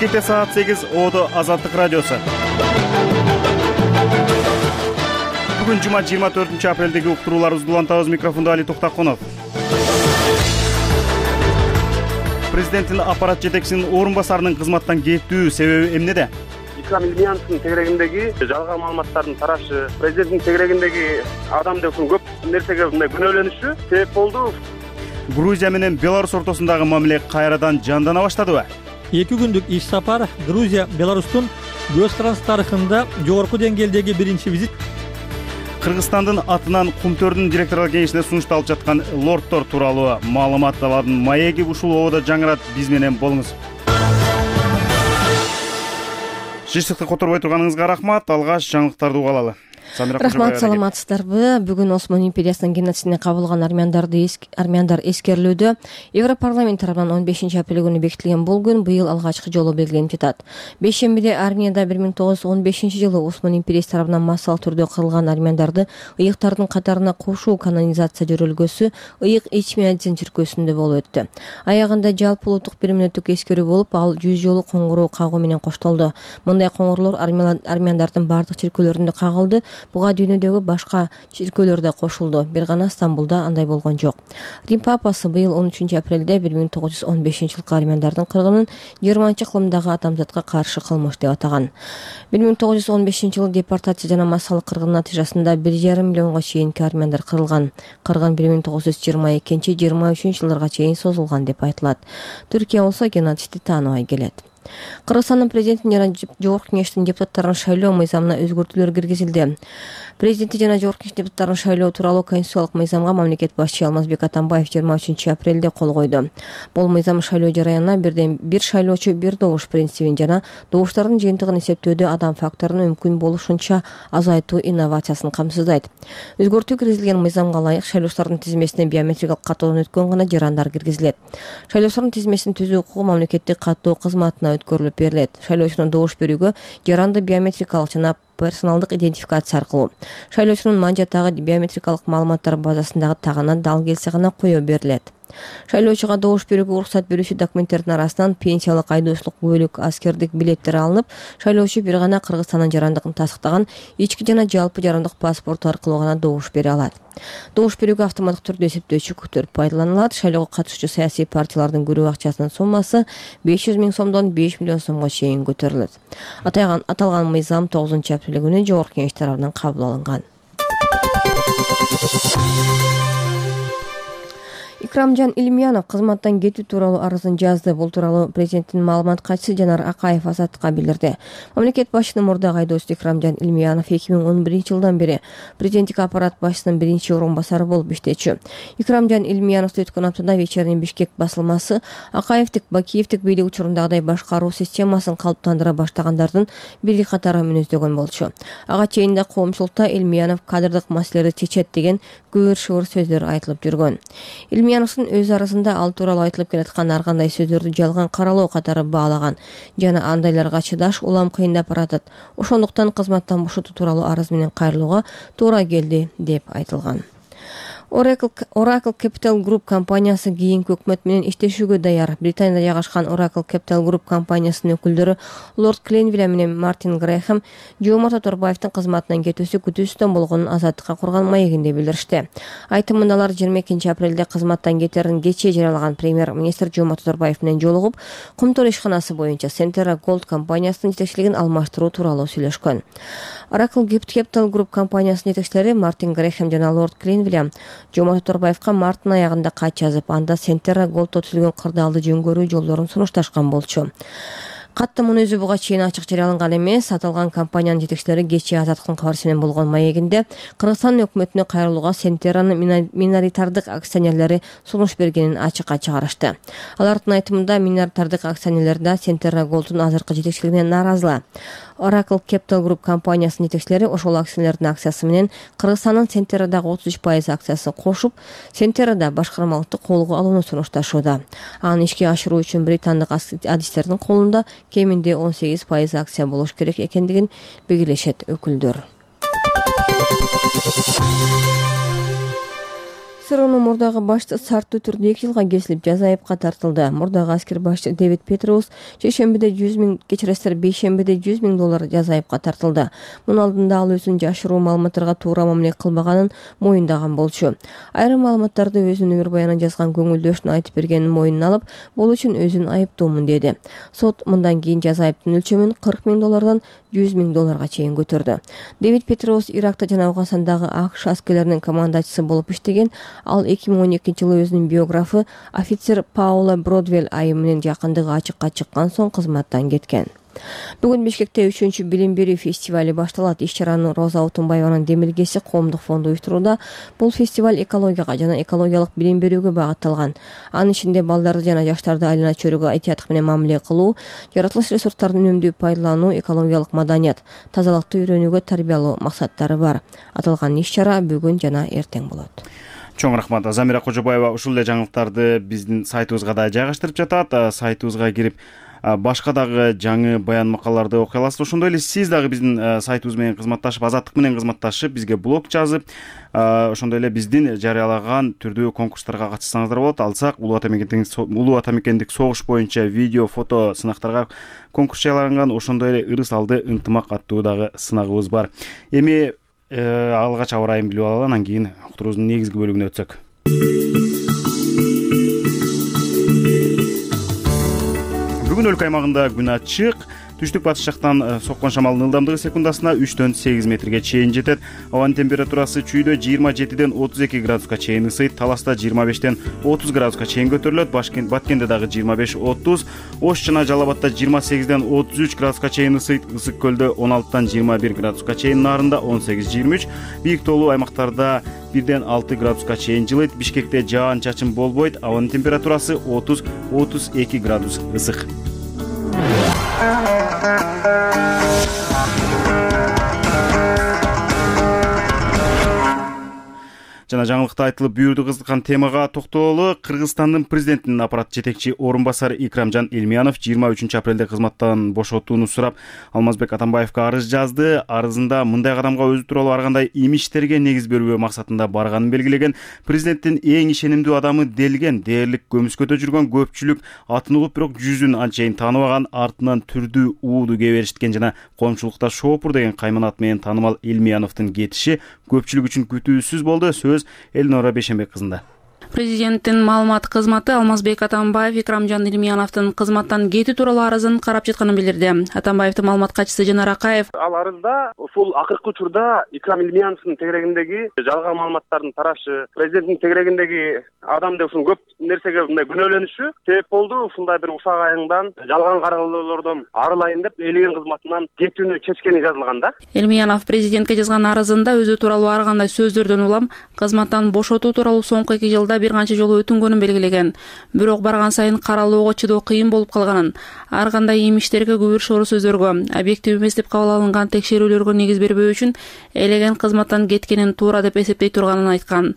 Бишкекте саат 8, Одо Азаттык радиосу. Бүгүн жума 24-апрелдеги уктурууларыбызды улантабыз. Микрофондо Али Токтакунов. Президенттин аппарат жетекчисинин орун басарынын кызматтан кетүү себеби эмнеде? Икрам Илмияновдун тегерегиндеги жалган маалыматтардын тарашы, президенттин тегерегиндеги адамдын көп нерсеге мындай күнөөлөнүшү себеп болду. Грузия менен Беларусь ортосундагы мамиле кайрадан жандана баштадыбы? 2 күндүк иш сапар Грузия, Беларустун көз каранды тарыхында жогорку деңгээлдеги биринчи визит. Кыргызстандын атынан Кумтөрдүн директорлор кеңешине сунушту алып жаткан лордтор тууралуу маалыматтардын маеги ушул ободо жаңырат. Биз менен болуңуз. Жыштыкты которбой турганыңызга рахмат. Алгач жаңылыктарды угалалы. Рахмат, саламатсыздарбы? Бүгүн Осман империясынын геноцидине кабылган армяндар эскерилүүдө. Европарламент тарабынан 15-апрель күнү бекитилген бул күн быйыл алгачкы жолу белгиленип жатат. Бейшембиде Арменияда 1915-жылы Осман империясы тарабынан массалык түрдө кырылган армяндарды ыйыктардын катарына кошуу канонизация жөрөлгөсү ыйык Эчмиадзин чиркөөсүндө болуп өттү. Аягында жалпы улуттук 1 мүнөттүк эскерүү болуп, ал 100 жолу коңгуроо кагуу менен коштолду. Мындай коңгуроолор армяндардын бардык чиркөөлөрүндө кагылды. Буга дүйнөдөгү башка чиркөөлөр да кошулду. Бир гана Стамбулда андай болгон жок. Рим папасы быйыл 13-апрелде 1915-жылкы армяндардын кыргынын Германча адамзатка каршы кылмыш деп атаган. 1915-жылы депортация жана массалык кыргын натыйжасында 1,5 миллионго чейинки армяндар кырылган. Кыргын 1922-23 жылдарга чейин созулган деп айтылат. Түркия болсо геноцидти тааныбай келет. Кыргызстандын президентин жана жогорку кеңештин депутаттарын шайлоо мыйзамына өзгөртүүлөр киргизилди. Президенти жана жогорку кеңеш депутаттарын шайлоо тууралуу конституциялык мыйзамга мамлекет башчы Алмазбек Атамбаев 23-апрелде кол койду. Бул мыйзам шайлоо жараянына бирден бир шайлоочу бир добуш принцибин жана добуштардын жыйынтыгын эсептөөдө адам факторун мүмкүн болушунча азайтуу инновациясын камсыздайт. Өзгөртүү киргизилген мыйзамга ылайык шайлоочулардын тизмесине биометрикалык каттоодон өткөн гана жарандар киргизилет. Шайлоочулардын тизмесин түзүү укугу мамлекеттик каттоо кызматына өткөрүлүп берилет. Шайлоочунун добуш берүүгө жаранды биометрикалык жана персоналдык идентификация аркылуу шайлоочунун манжаттагы биометрикалык маалыматтар базасындагы тагына дал келсе гана коё берилет. Шайлоочуга добуш берүүгө уруксат берүүчү документтердин арасынан пенсиялык, айдоочулук күбөлүк, аскердик билеттери алынып, шайлоочу бир гана Кыргызстандын жарандыгын тастыктаган ички жана жалпы жарандык паспорту аркылуу гана добуш бере алат. Добуш берүүгө автоматтык түрдө эсептөөчү күтөр пайдаланылат. Шайлоого катышуучу саясий партиялардын көрүү акчасынын суммасы 500 000 сомдон 5 миллион сомго чейин көтөрүлөт. Аталган мыйзам 9-апрель күнү жогорку кеңеш тарабынан кабыл алынган. Икрамжан Илмиянов кызматтан кетүү тууралуу арызын жазды. Бул тууралуу президенттин маалымат катчысы Жанар Акаев Азаттыкка билдирди. Мамлекет башчынын мурдагы айдоочусу Икрамжан Илмиянов 2011-жылдан бери президенттик аппарат башчысынын биринчи орун басары болуп иштечү. Икрамжан Илмияновду өткөн аптада Вечерний Бишкек басылмасы Акаевдик, Бакиевдик бийлик учурундагыдай башкаруу системасын калыптандыра баштагандардын бири катары мүнөздөгөн болчу. Ага чейин да коомчулукта Илмиянов кадрдык маселелерди чечет деген көөр-шыбыр сөздөр айтылып жүргөн. Илмияновдун өз арызында ал тууралуу айтылып келаткан ар кандай сөздөрдү жалган каралоо катары баалаган жана андайларга чыдаш улам кыйындап баратат. Ошондуктан кызматтан бошотуу тууралуу арыз менен кайрылууга туура келди деп айтылган. Oracle Capital Group компаниясы кийинки өкмөт менен иштешүүгө даяр. Британияда жайгашкан Oracle Capital Group компаниясынын өкүлдөрү Лорд Кленвилл менен Мартин Грэхэм Жомарт Оторбаевдин кызматынан кетүүсү күтүүсүздөн болгонун Азаттыкка курган маегинде билдиришти. Айтымында алар 22-апрелде кызматтан кетерин кечээ жарыялаган премьер-министр Жомарт Оторбаев менен жолугуп, Кумтөр ишканасы боюнча Centera Gold компаниясынын жетекчилигин алмаштыруу тууралуу сүйлөшкөн. Oracle Capital Group компаниясынын жетекчилери Мартин Грэхэм жана Лорд Кленвилл Жомарт Оторбаевка марттын аягында кат жазып, анда Centera Gold'то түзүлгөн кырдаалды жөнгөрүү жолдорун сунушташкан болчу. Каттын өзү буга чейин ачык жарыяланган эмес. Аталган компаниянын жетекчилери кечээ Азаттыктын кабарчысы менен болгон маегинде Кыргызстан өкмөтүнө кайрылууга Centera'нын миноритардык акционерлери сунуш бергенин ачыкка чыгарышты. Алардын айтымында миноритардык акционерлер да Centera Gold'ун азыркы жетекчилигине нааразы. Oracle Capital Group компаниясынын жетекчилери ошол акционердин акциясы менен Кыргызстандын Centera'дагы 33% акциясын кошуп, Centera'да башкармалыкты колго алууну сунушташууда. Аны ишке ашыруу үчүн британдык адистердин колунда кеминде 18% акция болуш керек экендигин белгилешет өкүлдөр. КСРнын мурдагы башчысы шарттуу түрдө 2 жылга кесилип жаза айыпка тартылды. Мурдагы аскер башчы Дэвид Петроус шейшембиде 100 000, кечиресиздер, бейшембиде 100 000 доллар жаза айыпка тартылды. Мунун алдында ал өзүнүн жашыруу маалыматтарга туура мамиле кылбаганын моюндаган болчу. Айрым маалыматтарды өзүнүн өмүр баянына жазган көңүлдөшүнө айтып бергенин мойнуна алып, бул үчүн өзүн айыптуумун деди. Сот мындан кийин жаза айыптын өлчөмүн 40 000 доллардан 100 000 долларга чейин көтөрдү. Дэвид Петроус Иракта жана Афганистандагы АКШ аскерлеринин командачысы болуп иштеген. Ал 2012 жылы өзүнүн биографы офицер Паула Бродвелл айым менен жакындыгы ачыкка чыккан соң кызматтан кеткен. Бүгүн Бишкекте 3-чү билим берүү фестивали башталат. Иш-чараны Роза Отунбаеванын Демилгеси коомдук фонду уюштурууда. Бул фестиваль экологияга жана экологиялык билим берүүгө багытталган. Анын ичинде балдарды жана жаштарды айлана чөйрөгө этияттык менен мамиле кылуу, жаратылыш ресурстарын үнөмдүү пайдалануу, экологиялык маданият, тазалыкты үйрөнүүгө тарбиялоо максаттары бар. Аталган иш-чара бүгүн жана эртең болот. Чоң рахмат. Замира Кожобаева ушул эле жаңылыктарды биздин сайтыбызга да жайгаштырып жатат. Сайтыбызга кирип башка дагы жаңы баян макалаларды окуй аласыз. Ошондой эле сиз дагы биздин сайтыбыз менен кызматташып, Азаттык менен кызматташып, бизге блог жазып, ошондой эле биздин жарыялаган түрдүү конкурстарга катышсаңыздар болот. Алсак Улуу Ата Мекендик согуш боюнча видео, фото сынактарга конкурс жарыяланган. Ошондой эле ырыс алды ынтымак аттуу дагы сынагыбыз бар. Эми алгач аба ырайын билип алалы, анан кийин уктуруубуздун негизги бөлүгүнө өтсөк. Бүгүн өлкө аймагында күн ачык. Түштүк батыш жактан соккон шамалдын ылдамдыгы секундасына 3-төн 8 метрге чейин жетет. Абанын температурасы чүйдө 27-ден 32 градуска чейин ысыйт. Таласта 25-тен 30 градуска чейин көтөрүлөт. Баткенде дагы 25-30, Ош жана Жалал Абадта 28-ден 33 градуска чейин ысыйт. Ысык көлдө 16-тан 21 градуска чейин, Нарында 18-23, бийик тоолуу аймактарда 1-ден 6 градуска чейин жылыйт. Бишкекте жаан-чачын болбойт. Абанын температурасы 30-32 градус ысык. Жана жаңылыкта айтылып бүйүрдү кызыккан темага токтололу. Кыргызстандын президентинин аппарат жетекчи орун басары Икрамжан Элмиянов 23 апрелде кызматтан бошотууну сурап Алмазбек Атамбаевга арыз жазды. Арызында мындай кадамга өзү тууралуу ар кандай имичтерге негиз бербөө максатында барганын белгилеген. Президенттин эң ишенимдүү адамы делген, дээрлик көмүскөдө жүргөн көпчүлүк атын угуп, бирок жүзүн анчейин тааныбаган, артынан түрдүү ууду кээ беришкен жана коомчулукта шоопур деген кайман ат менен таанымал Элмияновдун кетиши көпчүлүк үчүн күтүүсүз болду. Сөз Элнора Бейшембек кызында. Президенттин маалымат кызматы Алмазбек Атамбаев Икрамжан Элмияновдун кызматтан кетүү тууралуу арызын карап жатканын билдирди. Атамбаевдин маалымат катчысы Жанар Акаев ал арызда ушул акыркы учурда Икрам Элмияновдун тегерегиндеги жалган маалыматтардын тарашы, президенттин тегерегиндеги адам деп ушул көп нерсеге мындай күнөөлөнүшү себеп болду. Ушундай бир усак айыңдан жалган каралоолордон арылайын деп элеген кызматынан кетүүнү чечкени жазылган да. Элмиянов президентке жазган арызында өзү тууралуу ар кандай сөздөрдөн улам кызматтан бошотуу тууралуу соңку 2 жылда бир канча жолу өтүнгөнүн белгилеген. Бирок барган сайын каралоого чыдоо кыйын болуп калганын, ар кандай имичтерге күбүр шору сөздөргө, объектив эмес деп кабыл алынган текшерүүлөргө негиз бербөө үчүн элеген кызматтан кеткенин туура деп эсептей турганын айткан.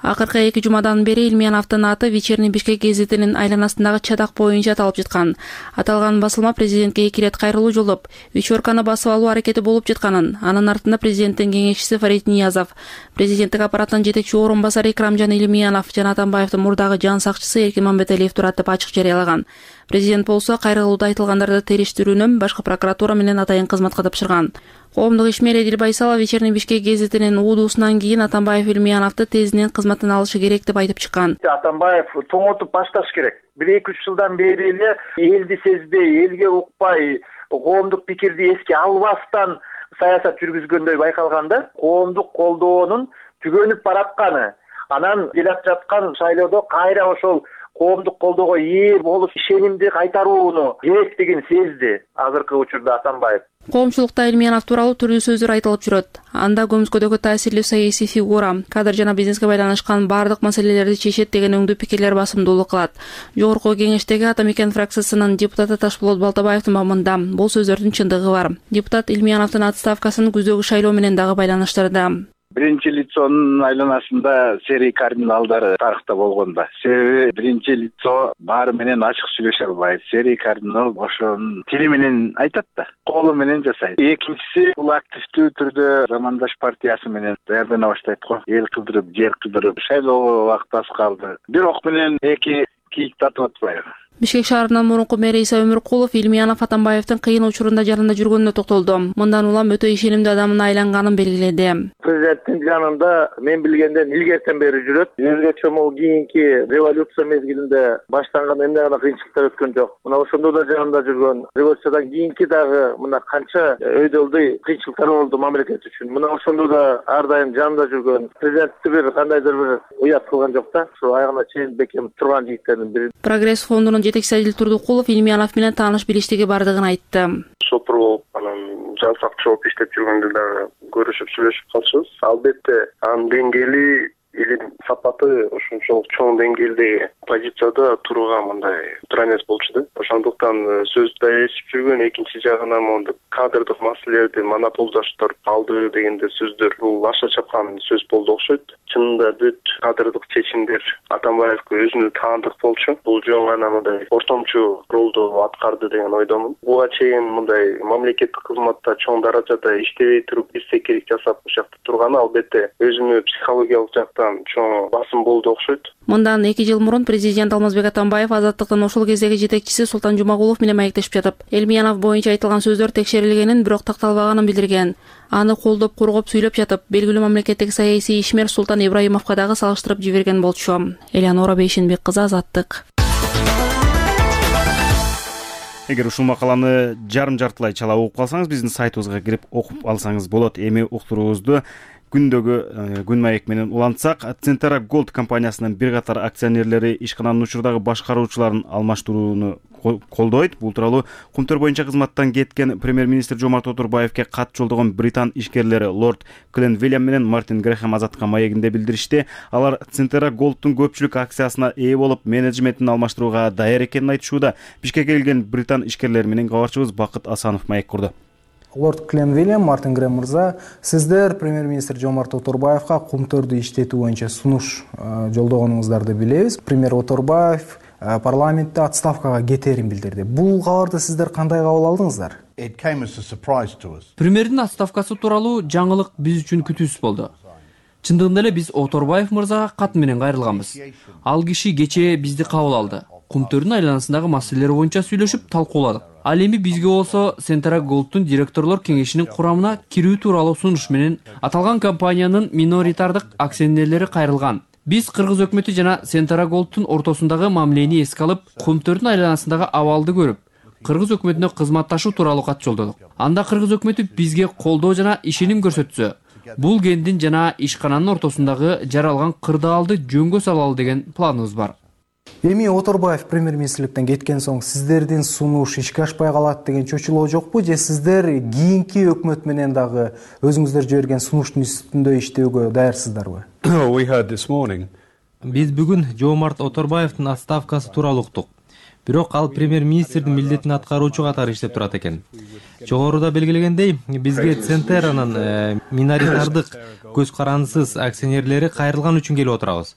Акыркы 2 жумадан бери Элмияновдун аты Вечерний Бишкек гезитинин айланасындагы чатак боюнча аталып жаткан. Аталган басылма президентке 2 ирет кайрылуу жолдоп, вечерканы басып алуу аракети болуп жатканын, анын артында президенттин кеңешчиси Фарид Ниязов, президенттик аппараттын жетекчи орун басары Икрамжан Элмиянов жана Атамбаевдин мурдагы жан сакчысы Эркин Мамбеталиев турат деп ачык жарыялаган. Президент болсо кайрылууда айтылгандарды териштирүүнү башкы прокуратура менен атайын кызматка тапшырган. Коомдук ишмер Эдил Байсалов Вечерний Бишкек гезитинин уудуусунан кийин Атамбаев Элмияновду тезинен кызматтан алышы керек деп айтып чыккан. Атамбаев тоңотуп башташ керек. 1-2 жылдан бери эле элди сезбей, элге укпай, коомдук пикирди эске албастан саясат жүргүзгөндөй байкалганда, коомдук колдоонун түгөнүп баратканы, анан келип жаткан шайлоодо кайра ошол коомдук колдоого ээ болуш ишенимди кайтарууну керектигин сезди азыркы учурда Атамбаев. Коомчулукта Элмиянов тууралуу түрдүү сөздөр айтылып жүрөт. Анда көмүскөдөгү таасирлүү саясий фигура, кадр жана бизнеске байланышкан бардык маселелерди чечет деген өңдүү пикирлер басымдуулук кылат. Жогорку кеңештеги Ата Мекен фракциясынын депутаты Ташболот Балтабаевдин мамында бул сөздөрдүн чындыгы бар. Депутат Элмияновдун отставкасын күздөгү шайлоо менен дагы байланыштырды. биринчи лицонун айланасында серий кардиналдары тарыхта болгон да. Себеби биринчи лицо баары менен ачык сүйлөшө албайт. Серий кардинал ошонун тили менен айтат да, колу менен жасайт. Экинчиси бул активдүү түрдө Замандаш партиясы менен даярдана баштайт го. Эл кылдырып, жер кылдырып шайлоого убакыт аз калды. Бирок менен эки кийик тартып атпайбы. Бишкек шаарынын мурунку мэри Иса Өмүркулов Илмиянов Атамбаевдин кыйын учурунда жанында жүргөнүнө токтолду. Мындан улам өтө ишенимдүү адамына айланганын белгиледи. Президенттин жанында мен билгенден илгертен бери жүрөт. Өзгөчө могу кийинки революция мезгилинде баштанган эмне гана кыйынчылыктар өткөн жок. Мына ошондо да жанында жүргөн. Революциядан кийинки дагы мына канча өйдөлдүй кыйынчылыктар болду мамлекет үчүн. Мына ошондо да ар дайым жанында жүргөн. Президентти бир кандайдыр бир уят кылган жок да. Ошо айгына чейин бекем турган жигиттердин бири. Прогресс фондунун жетекчиси Адил Турдукулов Илмиянов менен тааныш билиштиги бардыгын айтты. Сотур болуп анан жансак жооп иштеп жүргөндө дагы көрүшүп сүйлөшүп калчубуз. Албетте анын деңгээли илим сапаты ушунчалык чоң деңгээлдеги позицияда турууга мындай туура эмес болчу да. Ошондуктан сөздү ээрчип жүргөн, экинчи жагынан мондо кадрдык маселелерди монополдаштыр алды дегенде сөздөр бул аша чапкан сөз болду окшойт. Чынында бүт кадрдык чечимдер Атамбаевге өзүнө таандык болчу. Бул жөн гана мындай ортомчу ролду аткарды деген ойдомун. Буга чейин мындай мамлекеттик кызматта чоң даражада иштебей туруп истекелик жасап ушакта турганы албетте өзүмө психологиялык жактан чоң басым болду окшойт. Мындан 2 жыл мурун президент Алмазбек Атамбаев Азаттыктын ошол кездеги жетекчиси Султан Жумагулов менен маектешип жатып, Элмиянов боюнча айтылган сөздөр текшерилгенин, бирок такталбаганын билдирген. Аны колдоп кургоп сүйлөп жатып, белгилүү мамлекеттик саясий ишмер Султан Ибраимовго дагы салыштырып жиберген болчу. Элеонора Бейшенбек кызы, Азаттык. Эгер ушул макаланы жарым-жартылай чала угуп калсаңыз, биздин сайтыбызга кирип окуп алсаңыз болот. Эми уктуруубузду күндөгү күн маек менен улантсак, Центера Голд компаниясынын бир катар акционерлери ишкананын учурдагы башкаруучуларын алмаштырууну колдойт. Бул тууралуу Кумтөр боюнча кызматтан кеткен премьер-министр Жомарт Отурбаевке кат жолдогон Британ ишкерлери лорд Клен Вильям менен Мартин Грэхэм Азаттыкка маегинде билдиришти. Алар Центера Голдтун көпчүлүк акциясына ээ болуп, менеджментин алмаштырууга даяр экенин айтышууда. Бишкекке келген Британ ишкерлери менен кабарчыбыз Бакыт Асанов маек курду. Лорд Клен Вильям, Мартин Грэхэм мырза, сиздер премьер-министр Жомарт Отурбаевка Кумтөрдү иштетүү боюнча сунуш жолдогонуңуздарды билебиз. Премьер Отурбаев парламентте отставкага кетерин билдирди. Бул кабарды сиздер кандай кабыл алдыңыздар? Премьердин отставкасы тууралуу жаңылык биз үчүн күтүүсүз болду. Чындыгында эле биз Отурбаев мырзага кат менен кайрылганбыз. Ал киши кечээ бизди кабыл алды. Кумтөрдүн айланасындагы маселелер боюнча сүйлөшүп талкууладык. Ал эми бизге болсо Центера Голдтун директорлор кеңешинин курамына кирүү тууралуу сунуш менен аталган компаниянын миноритардык акционерлери кайрылган. Биз Кыргыз өкмөтү жана Центера Голдтун ортосундагы мамилени эске алып, Кумтөрдүн айланасындагы абалды көрүп, Кыргыз өкмөтүнө кызматташуу тууралуу кат жолдодук. Анда Кыргыз өкмөтү бизге колдоо жана ишеним көрсөтсө, бул кендин жана ишкананын ортосундагы жаралган кырдаалды жөнгө салалы деген планыбыз бар. Эми Отурбаев премьер-министрликтен кеткен соң сиздердин сунуш ишке ашпай калат деген чочулоо жокпу, же сиздер кийинки өкмөт менен дагы өзүңүздөр жиберген сунуштун үстүндө иштөөгө даярсыздарбы? Биз бүгүн Жомарт Отурбаевдин отставкасы тууралуу уктук. Бирок ал премьер-министрдин милдетин аткаруучу катары иштеп турат экен. Жогоруда белгилегендей, бизге Центеранын миноритардык көз карандысыз акционерлери кайрылган үчүн келип отурабыз.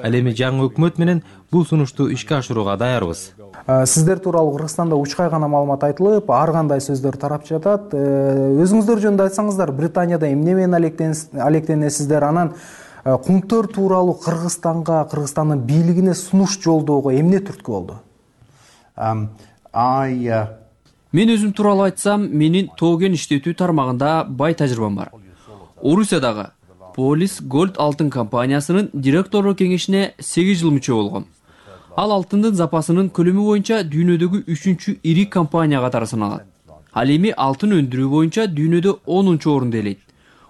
Ал эми жаңы өкмөт менен бул сунушту ишке ашырууга даярбыз. Сиздер тууралуу Кыргызстанда учкай гана маалымат айтылып, ар кандай сөздөр тарап жатат. Өзүңүздөр жөнүндө айтсаңыздар, Британияда эмне менен алектенесиздер? Анан Кумтөр тууралуу Кыргызстандын бийлигине сунуш жолдоого эмне түрткү болду? Мен өзүм тууралуу айтсам, менин тоген иштетүү тармагында бай тажрыйбам бар. Орусиядагы Полис Gold алтын компаниясынын директорлор кеңешине 8 жыл мүчө болгом. Ал алтындын запасынын көлөмү боюнча дүйнөдөгү 3-чү ири компания катары саналат. Ал эми алтын өндүрүү боюнча дүйнөдө 10-чу орунду ээлейт.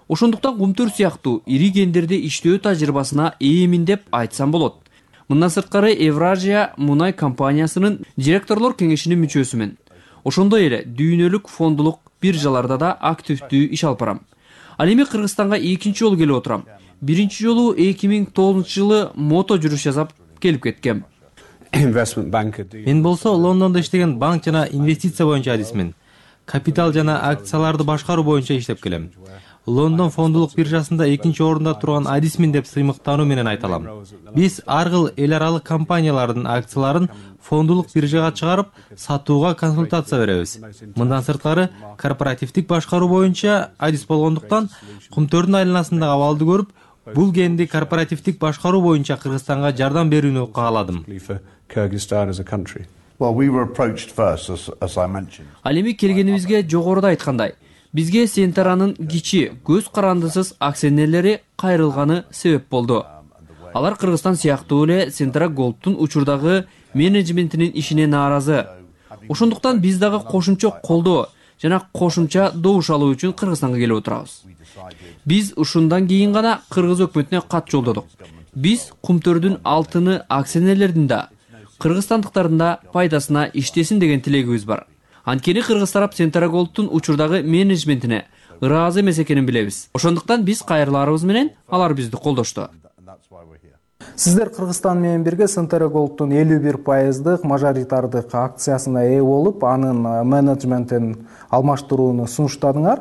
Ошондуктан Кумтөр сыяктуу ири кендерде иштөө тажрыйбасына ээмин деп айтсам болот. Мындан сырткары Евразия мунай компаниясынын директорлор кеңешинин мүчөсүмүн. Ошондой эле дүйнөлүк фондулук биржаларда да активдүү иш алып барам. Ал эми Кыргызстанга экинчи жолу келип отурам. Биринчи жолу 2009-жылы мото жүрүш жасап келип кеткем. Мен болсо Лондондо иштеген банк жана инвестиция боюнча адисмин. Капитал жана акцияларды башкаруу боюнча иштеп келем. Лондон фондулук биржасында 2-орунда турган адисмин деп сыймыктануу менен айта алам. Биз ар кыл эл аралык компаниялардын акцияларын фондулук биржага чыгарып, сатууга консультация беребиз. Мындан сырткары корпоративдик башкаруу боюнча адис болгондуктан Кумтөрдүн айланасындагы абалды көрүп, бул кенди корпоративдик башкаруу боюнча Кыргызстанга жардам берүүнү кааладым. Ал эми келгенибизге жогоруда айткандай, бизге Сентеранын кичи, көз карандысыз акционерлери кайрылганы себеп болду. Алар Кыргызстан сыяктуу эле Сентера Голдтун учурдагы менеджментинин ишине нааразы. Ошондуктан биз дагы кошумча колдоо жана кошумча добуш алуу үчүн Кыргызстанга келип отурабыз. Биз ушундан кийин гана кыргыз өкмөтүнө кат жолдодук. Биз Кумтөрдүн алтыны акционерлердин да, кыргызстандыктардын да пайдасына иштесин деген тилегибиз бар. Анткени кыргыз тарап Сентера Голдтун учурдагы менеджментине ыраазы эмес экенин билебиз. Ошондуктан биз кайрылаарыбыз менен алар бизди колдошту. Сиздер Кыргызстан менен бирге Сентера Голдтун 51% мажоритардык акциясына ээ болуп, анын менеджментин алмаштырууну сунуштадыңар.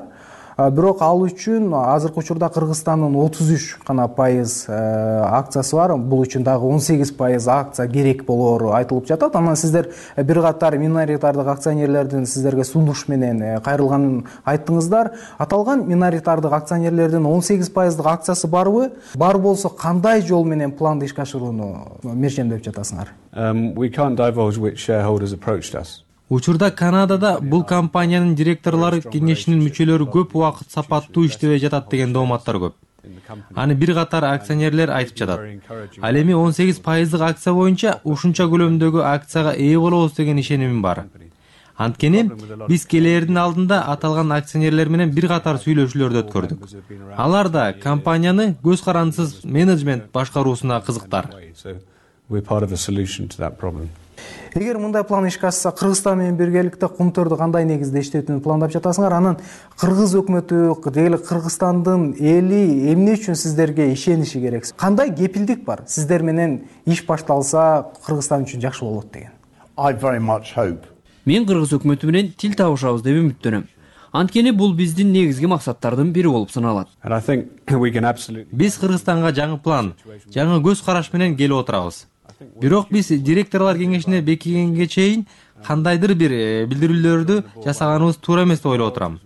Бирок ал үчүн азыркы учурда Кыргызстандын 33 гана пайыз акциясы бар. Бул үчүн дагы 18% акция керек болоору айтылып жатат. Анан сиздер бир катар миноритардык акционерлердин сиздерге сунуш менен кайрылганын айттыңыздар. Аталган миноритардык акционерлердин 18% акциясы барбы? Бар болсо кандай жол менен планды ишке ашырууну мешендеп жатасыңар? Учурда Канадада бул компаниянын директорлору кеңешинин мүчөлөрү көп убакыт сапаттуу иштебей жатат деген дооматтар көп. Аны бир катар акционерлер айтып жатат. Ал эми 18% акция боюнча ушунча көлөмдөгү акцияга ээ болобуз деген ишенимим бар. Анткени биз келээрдин алдында аталган акционерлер менен бир катар сүйлөшүүлөрдү өткөрдүк. Алар да компанияны көз карандысыз менеджмент башкаруусуна кызыктар. Эгер мындай план ишке ашса, Кыргызстан менен биргеликте Кумтөрдү кандай негизде иштетүүнү пландап жатасыңар? Анан кыргыз өкмөтү, деги эле Кыргызстандын эли эмне үчүн сиздерге ишениши керек? Кандай кепилдик бар? Сиздер менен иш башталса, Кыргызстан үчүн жакшы болот деген. Мен кыргыз өкмөтү менен тил табышабыз деп үмүттөнөм. Анткени бул биздин негизги максаттардын бири болуп саналат. Биз Кыргызстанга жаңы план, жаңы көз караш менен келип отурабыз. Бирок биз директорлор кеңешине бекигенге чейин кандайдыр бир билдирүүлөрдү жасаганыбыз туура эмес деп ойлоп отурам.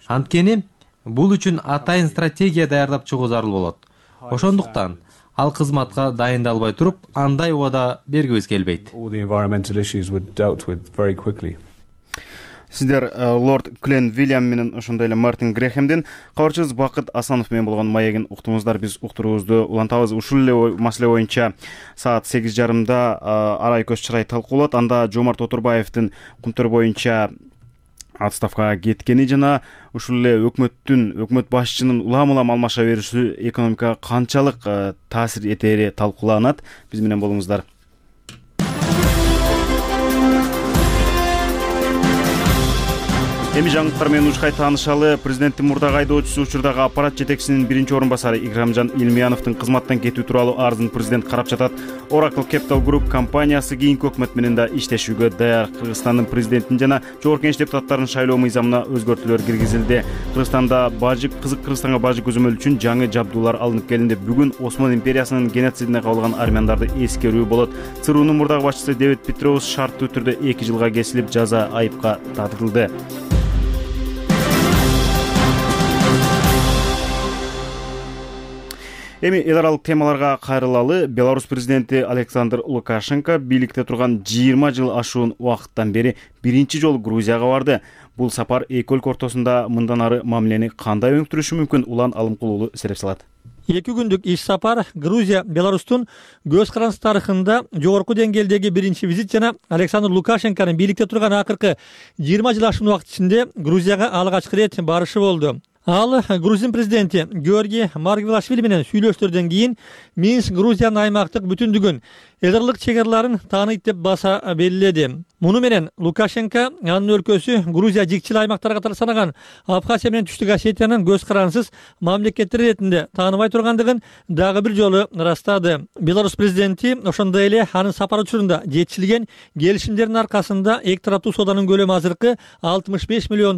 Анткени бул үчүн атайын стратегия даярдап чыгуу зарыл болот. Ошондуктан ал кызматка дайындалбай туруп, андай убада бергибиз келбейт. Сиздер лорд Клен Вильям менен ошондой эле Мартин Грехемдин, кабарчыбыз Бакыт Асанов менен болгон маегин уктуңуздар. Биз уктуруубузду улантабыз. Ушул эле маселе боюнча саат 8:30 арай көз чырай талкууланат. Анда Жомарт Оторбаевдин Кумтөр боюнча отставкага кеткени жана ушул эле өкмөт башчынын улам алмаша бериши экономикага канчалык таасир этери талкууланат. Биз менен болуңуздар. Эми жаңылыктар менен ушкай таанышалы. Президенттин мурдагы айдоочусу учурдагы аппарат жетекчисинин биринчи орун басары Икрамжан Элмияновдун кызматтан кетүү тууралуу арызын президент карап жатат. Oracle Capital Group компаниясы кийинки өкмөт менен да иштешүүгө даяр. Кыргызстандын президентин жана жогорку кеңеш депутаттарынын шайлоо мыйзамына өзгөртүүлөр киргизилди. Кыргызстанга бажы көзөмөл үчүн жаңы жабдуулар алынып келинди. Бүгүн Осман империясынын геноцидине кабылган армяндарды эскерүү болот. ЦРУнун мурдагы башчысы Дэвид Петроус шарттуу түрдө 2 жылга кесилип, жаза айыпка тартылды. Эми эл аралык темаларга кайрылалы. Беларусь президенти Александр Лукашенко бийликте турган 20 жыл ашуун убакыттан бери биринчи жолу Грузияга барды. Бул сапар эки өлкө ортосунда мындан ары мамилени кандай өнүктүрүшү мүмкүн? Улан Алымкул уулу сереп салат. 2 күндүк иш сапар Грузия, Беларустун көз карандысыз тарыхында жогорку деңгээлдеги биринчи визит жана Александр Лукашенконун бийликте турган акыркы 20 жыл ашуун убакыт ичинде Грузияга алгачкы рет барышы болду. Ал Грузин президенти Георгий Маргвелашвили менен сүйлөштөрдөн кийин Минск Грузиянын аймактык бүтүндүгүн, Эдерлик чегарларын тааныйт деп баса белгиледи. Муну менен Лукашенко анын өлкөсү Грузия жикчил аймактар катары санаган Абхазия менен Түштүк Осетиянын көз карансыз мамлекеттер иретинде тааныбай тургандыгын дагы бир жолу ырастады. Беларусь президенти ошондой эле анын сапар учурунда жетишилген келишимдердин аркасында эки тараптуу сооданын көлөмү азыркы $65 миллион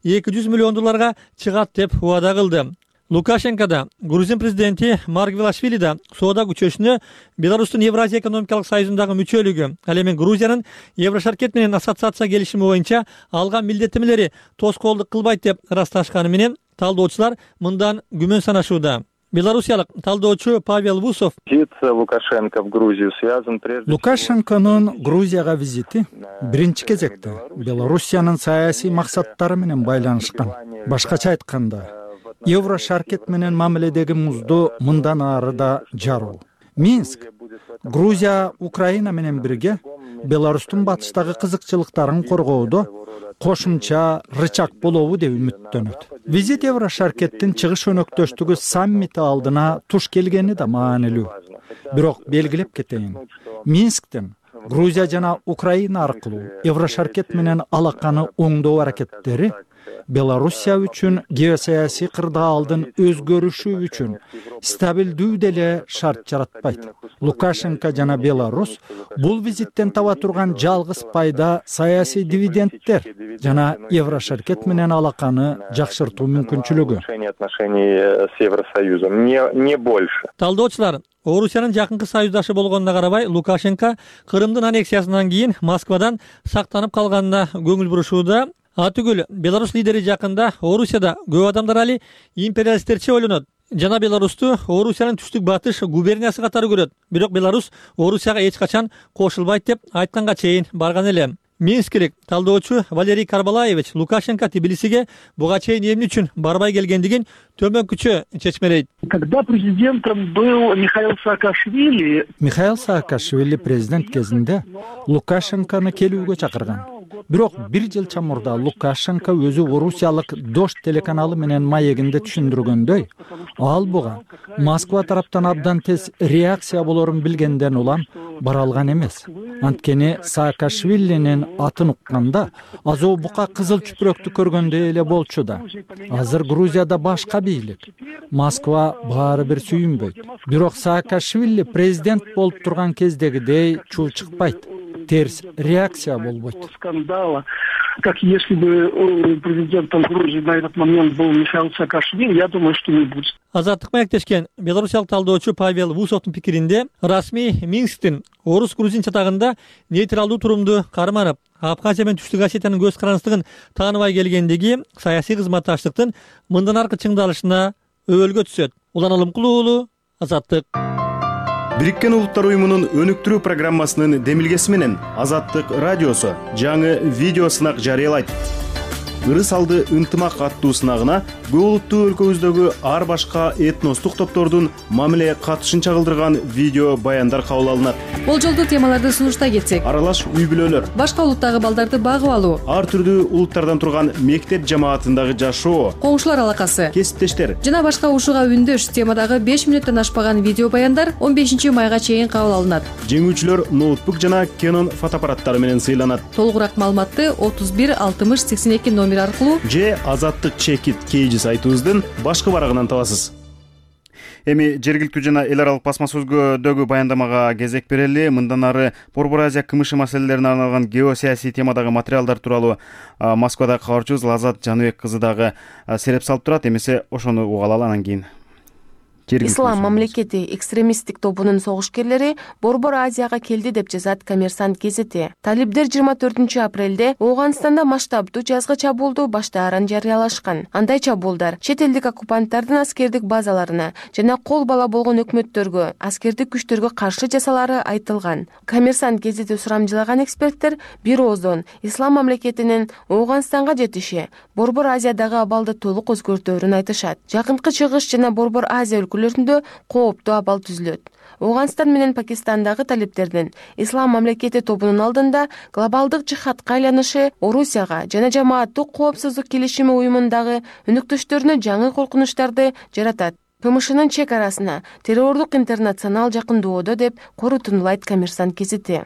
200 миллион долларга чыгат деп убада кылды. Лукашенко да, Грузин президенти Маргвелашвили да соода күчөшүнө Беларустун Евразия экономикалык союзундагы мүчөлүгү, ал эми Грузиянын Еврошаркет менен ассоциация келишими боюнча алган милдеттенмелери тоскоолдук кылбайт деп ырасташканы менен талдоочулар мындан күмөн санашууда. Белоруссиялык талдоочу Павел Вусов: Лукашенко в Грузию связан прежде Лукашенконун Грузияга визити биринчи кезекте Белоруссиянын саясий максаттары менен байланышкан. Башкача айтканда, Еврошаркет менен мамиледеги музду мындан ары да жаруу. Минск, Грузия Украина менен бирге Беларустун батыштагы кызыкчылыктарын коргоодо кошумча рычаг болобу деп үмүттөнөт. Визит Еврошаркеттин чыгыш өнөктөштүгү саммити алдына туш келгени да маанилүү. Бирок белгилеп кетейин, Минсктин Грузия жана Украина аркылуу Еврошаркет менен алаканы оңдоо аракеттери Белоруссия үчүн геосаясий кырдаалдын өзгөрүшү үчүн стабилдүү деле шарт жаратпайт. Лукашенко жана Беларусь бул визиттен таба турган жалгыз пайда саясий дивидендтер жана Еврошаркет менен алаканы жакшыртуу мүмкүнчүлүгү. Талдоочулар Орусиянын жакынкы союздашы болгонуна карабай, Лукашенко Крымдын аннексиясынан кийин Москвадан сактанып калганына көңүл бурушууда. Атүгүл Беларусь лидери жакында Орусияда көп адамдар али империалисттерче ойлонот жана Беларусту Орусиянын түштүк батыш губерниясы катары көрөт. Бирок Беларусь Орусияга эч качан кошулбайт деп айтканга чейин барган эле. Минскилик талдоочу Валерий Карбалаевич Лукашенко Тбилисиге буга чейин эмне үчүн барбай келгендигин төмөнкүчө чечмелейт. Когда президентом был Михаил Саакашвили, Михаил Саакашвили президент кезинде Лукашенкону келүүгө чакырган. Бирок бир жыл чамурда Лукашенко өзү Орусиялык Дождь телеканалы менен маегинде түшүндүргөндөй, ал буга Москва тараптан абдан тез реакция болорун билгенден улам бара алган эмес. Анткени Саакашвилинин атын укканда азоо бука кызыл чүпүрөктү көргөндөй эле болчу да. Азыр Грузияда башка бийлик. Москва баары бир сүйүнбөйт. Бирок Саакашвили президент болуп турган кездегидей чуу чыкпайт. Терс реакция болбойт. Скандала, как если бы президентом Грузии на этот момент был Михаил Саакашвили, я думаю, что не будет. Азаттык маектешкен белорусиялык талдоочу Павел Вусовдун пикиринде, расмий Минсктин орус-грузин чатагында нейтралдуу турумду карманып, Абхазия менен Түштүк Осетиянын көз карансыздыгын тааныбай келгендиги саясий кызматташтыктын мындан аркы чыңдалышына өбөлгө түшөт. Улан Алымкулуу уулу, Азаттык. Бириккен Улуттар уюмунун өнүктүрүү программасынын демилгеси менен Азаттык радиосу жаңы видео сынак жарыялайт. Ырыс алды ынтымак аттуу сынагына көп улуттуу өлкөбүздөгү ар башка этностук топтордун мамиле катышын чагылдырган видео баяндар кабыл алынат. Болжолдуу темаларды сунуштай кетсек: аралаш үй бүлөлөр, башка улуттагы балдарды багып алуу, ар түрдүү улуттардан турган мектеп жамаатындагы жашоо, коңшулар алакасы, кесиптештер жана башка ушуга үндөш темадагы 5 минуттан ашпаган видео баяндар 15 майга чейин кабыл алынат. Жеңүүчүлөр ноутбук жана Canon фотоаппараттары менен сыйланат. Толугураак маалыматты 31 60 82 номер аркылуу же Азаттык чекит KG сайтыбыздын башкы барагынан табасыз. Эми жергиликтүү жана эл аралык басма сөзгөдөгү баяндамага кезек берели. Мындан ары Борбор Азия КМШ маселелерине арналган геосаясий темадагы материалдар тууралуу Москвадагы кабарчыбыз Лазат Жаныбек кызы дагы сереп салып турат. Эмесе ошону угуп алалы, анан кийин. Ислам мамлекети экстремисттик тобунун согушкерлери Борбор Азияга келди деп жазат Коммерсант газети. Талибдер 24 апрелде Ооганстанда масштабдуу жазгы чабуулду баштаарын жарыялашкан. Андай чабуулдар чет элдик оккупанттардын аскердик базаларына жана кол бала болгон өкмөттөргө, аскердик күчтөргө каршы жасалары айтылган. Коммерсант газети сурамжылаган эксперттер бир ооздон Ислам мамлекетинин Ооганстанга жетиши Борбор Азиядагы абалды толук өзгөртөөрүн айтышат. Жакынкы Чыгыш жана Борбор Азия өлкөлөрүндө кооптуу абал түзүлөт. Ооганстан менен Пакистандагы талиптердин Ислам мамлекети тобунун алдында глобалдык жихадка айланышы Орусияга жана жамааттык коопсуздук келишими уюмундагы өнөктөштөрүнө жаңы коркунучтарды жаратат. КМШнын чек арасына террордук интернационал жакындоодо деп корутундулайт Коммерсант гезити.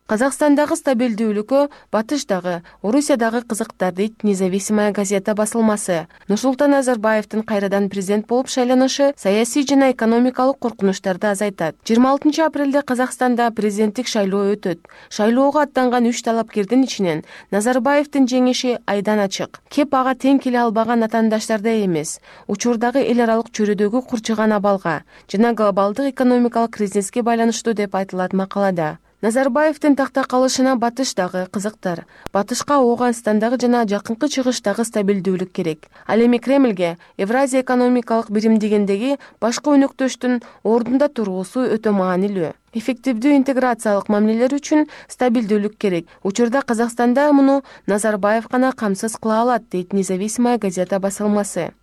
Казакстандагы стабилдүүлүккө батыштагы, Орусиядагы кызыктар дейт Независимая газета басылмасы. Нурсултан Назарбаевдин кайрадан президент болуп шайланышы саясий жана экономикалык коркунучтарды азайтат. 26 апрелде Казакстанда президенттик шайлоо өтөт. Шайлоого аттанган 3 талапкердин ичинен Назарбаевдин жеңиши айдан ачык. Кеп ага тең келе албаган атаандаштарда эмес, учурдагы эл аралык чөйрөдөгү курчуган абалга жана глобалдык экономикалык кризиске байланыштуу деп айтылат макалада. Назарбаевдин такта калышына батыштагы кызыктар, батышка Ооганстандагы жана жакынкы чыгыштагы стабилдүүлүк керек. Ал эми Кремльге Евразия экономикалык бирим дегендеги башкы өнөктөштүн ордунда туруусу өтө маанилүү. Эффективдүү интеграциялык мамилелер үчүн стабилдүүлүк керек. Учурда Казакстанда муну Назарбаев гана камсыз кыла алат, дейт Независимая газета басылмасы.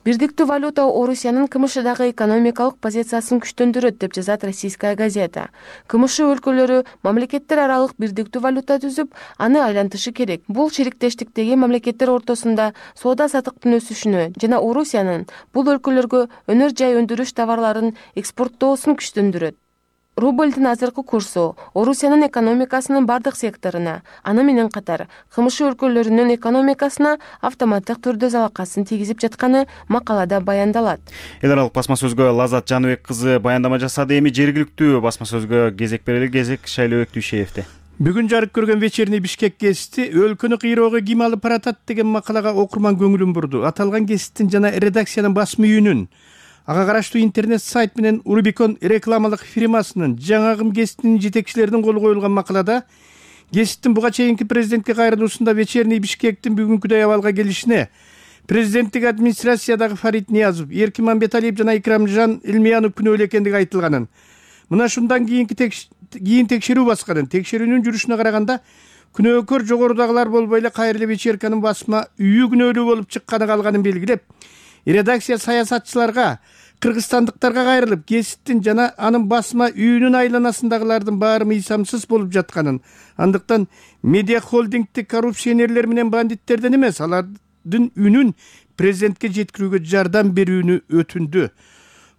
Бирдиктүү валюта Орусиянын КМШдагы экономикалык позициясын күчтөндүрөт деп жазат Российская газета. КМШ өлкөлөрү мамлекеттер аралык бирдиктүү валюта түзүп, аны айлантышы керек. Бул шериктештиктеги мамлекеттер ортосунда соода саттыктын өсүшүнө жана Орусиянын бул өлкөлөргө өнөр жай өндүрүш товарларын экспорттоосун күчтөндүрөт. Рубльдин азыркы курсу Орусиянын экономикасынын бардык секторуна, аны менен катар КМШ өлкөлөрүнүн экономикасына автоматтык түрдө залакасын тийгизип жатканы макалада баяндалат. Эл аралык басма сөзгө Лазат Жаныбек кызы баяндама жасады. Эми жергиликтүү басма сөзгө кезек берели. Кезек Шайлообек Дүйшеевде. Бүгүн жарык көргөн вечерний Бишкек гезити өлкөнү кыйроого ким алып баратат деген макалага окурман көңүлүн бурду. Аталган гезиттин жана редакциянын басма үйүнүн, ага караштуу интернет сайт менен Рубикон рекламалык фирмасынын жаңагым гезитинин жетекчилеринин колу коюлган макалада гезиттин буга чейинки президентке кайрылуусунда вечерний Бишкектин бүгүнкүдөй абалга келишине президенттик администрациядагы Фарид Ниязов, Эркин Мамбеталиев жана Икрамжан Элмиянов күнөөлүү экендиги айтылганын, мына шундан кийин текшерүү басканын, текшерүүнүн жүрүшүнө караганда күнөөкөр жогорудагылар болбой эле кайра вечерканын басма үйү күнөөлүү болуп чыкканы калганын белгилеп, редакция саясатчыларга, кыргызстандыктарга кайрылып, гезиттин жана анын басма үйүнүн айланасындагылардын баары мыйсамсыз болуп жатканын, андыктан медиа холдингдик коррупционерлер менен бандиттерден эмес, алардын үнүн президентке жеткирүүгө жардам берүүнү өтүндү.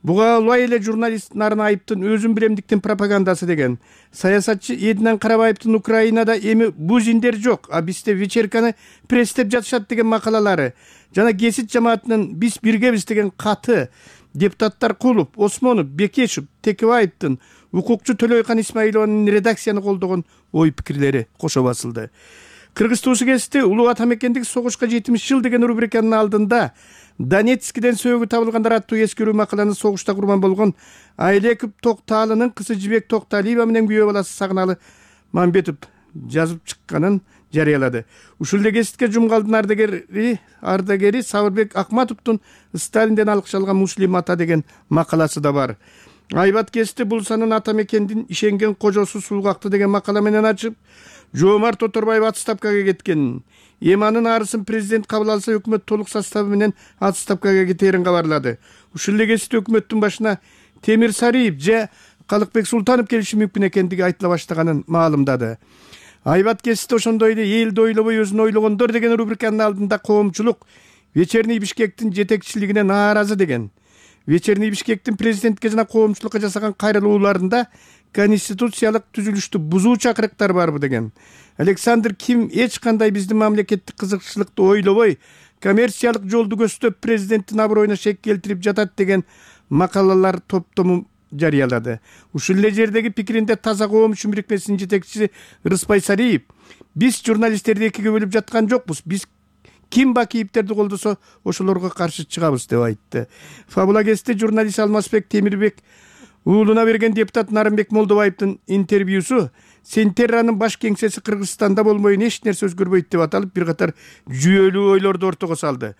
Буга улай эле журналист Нарын Айыптын өзүн билемдиктин пропагандасы деген. Саясатчы Эдинан Карабаевдин Украинада эми бузиндер жок, а бизде вечерканы пресстеп жатышат деген макалалары жана гезит жамаатынын биз биргебиз деген каты депутаттар Кулов, Осмонов, Бекешев, Текебаевдин, укукчу Төлөйкан Исмаилованын редакцияны колдогон ой пикирлери кошо басылды. Кыргыз туусу гезити улуу атамекендик согушка 70 жыл деген рубриканын алдында Донецкиден сөөгү табылгандар аттуу эскерүү макаланы согушта курман болгон Айлеков Токталынын кызы Жибек Токталиева менен күйөө баласы Сагыналы Мамбетов жазып чыкканын жарыялады. Ушул эле гезитке жумгалдын ардагери Сабырбек Акматовдун Сталинден алкышталган Муслим ата деген макаласы да бар. Айбат гезити Булсанын атамекендин ишенген кожосу Сулгакты деген макала менен ачып, Жоомарт Оторбаев отставкага кеткенин, Эманын арысын президент кабыл алса өкмөт толук составы менен отставкага кетерин кабарлады. Ушул эле гезит өкмөттүн башына Темир Сариев же Калыкбек Султанов келиши мүмкүн экендиги айтыла баштаганын маалымдады. Айбат гезити ошондой эле элди ойлобой өзүн ойлогондор деген рубриканын алдында коомчулук вечерний Бишкектин жетекчилигине нааразы деген. Вечерний Бишкектин президентке жана коомчулукка жасаган кайрылууларында конституциялык түзүлүштү бузуу чакырыктар барбы деген. Александр Ким эч кандай биздин мамлекеттик кызыкчылыкты ойлобой, коммерциялык жолду көздөп президенттин аброюна шек келтирип жатат деген макалалар топтому жарыялады. Ушул эле жердеги пикиринде Таза коомчу бирикмесинин жетекчиси Рыспай Сариев, биз журналисттерди экиге бөлүп жаткан жокпуз, биз ким Бакиевтерди колдосо ошолорго каршы чыгабыз деп айтты. Фабула гезити журналист Алмазбек Темирбек уулуна берген депутат Нарымбек Молдобаевдин интервьюсу Сентерранын баш кеңсеси Кыргызстанда болмойн эч нерсе өзгөрбөйт деп аталып, бир катар жүйөлүү ойлорду ортого салды.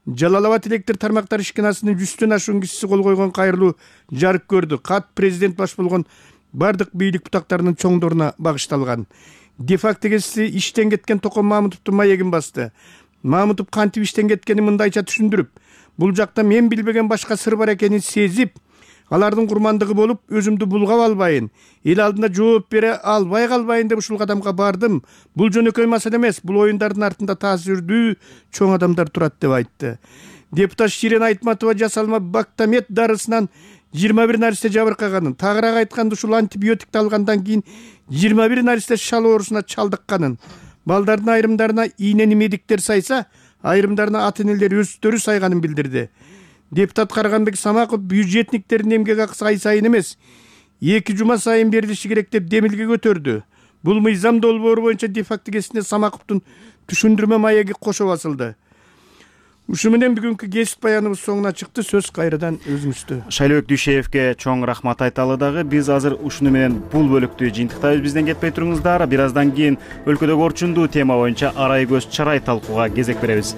Жалал-Абад электр тармактар ишканасынын 100төн ашуун кишиси кол койгон кайрылуу жарык көрдү. Кат президент баш болгон бардык бийлик бутактарынын чоңдоруна багышталган. Де-факто гезити иштен кеткен Токон Мамутовдун маегин басты. Мамутов кантип иштен кеткенин мындайча түшүндүрүп, бул жакта мен билбеген башка сыр бар экенин сезип, алардын курмандыгы болуп өзүмдү булгап албайын, эл алдында жооп бере албай калбайын деп ушул кадамга бардым. Бул жөнөкөй маселе эмес, бул оюндардын артында таасирдүү чоң адамдар турат деп айтты. Депутат Ширен Айтматова жасалма Бактамет дарысынан 21 наристе жабыркаганын, тагыраак айтканда ушул антибиотикти алгандан кийин 21 наристе шал оорусуна чалдыкканын, балдардын айрымдарына ийнени медиктер сайса, айрымдарына ата-энелер өздөрү сайганын билдирди. Депутат Карганбек Самаков бюджетниктердин эмгек акысы ай сайын эмес, 2 жума сайын берилиши керек деп демилге көтөрдү. Бул мыйзам долбоору боюнча де-факто кесиптне Самаковдун түшүндүрмө маеги кошо басылды. Ушу менен бүгүнкү кесип баяныбыз соңуна чыкты. Сөз кайрадан өзүңүздө. Шайлообек Дүйшеевке чоң рахмат айталы дагы. Биз азыр ушуну менен бул бөлүктү жыйынтыктайбыз. Бизден кетпей туруңуздар. Бир аздан кийин өлкөдөгү орчундуу тема боюнча арай көз чарай талкууга кезек беребиз.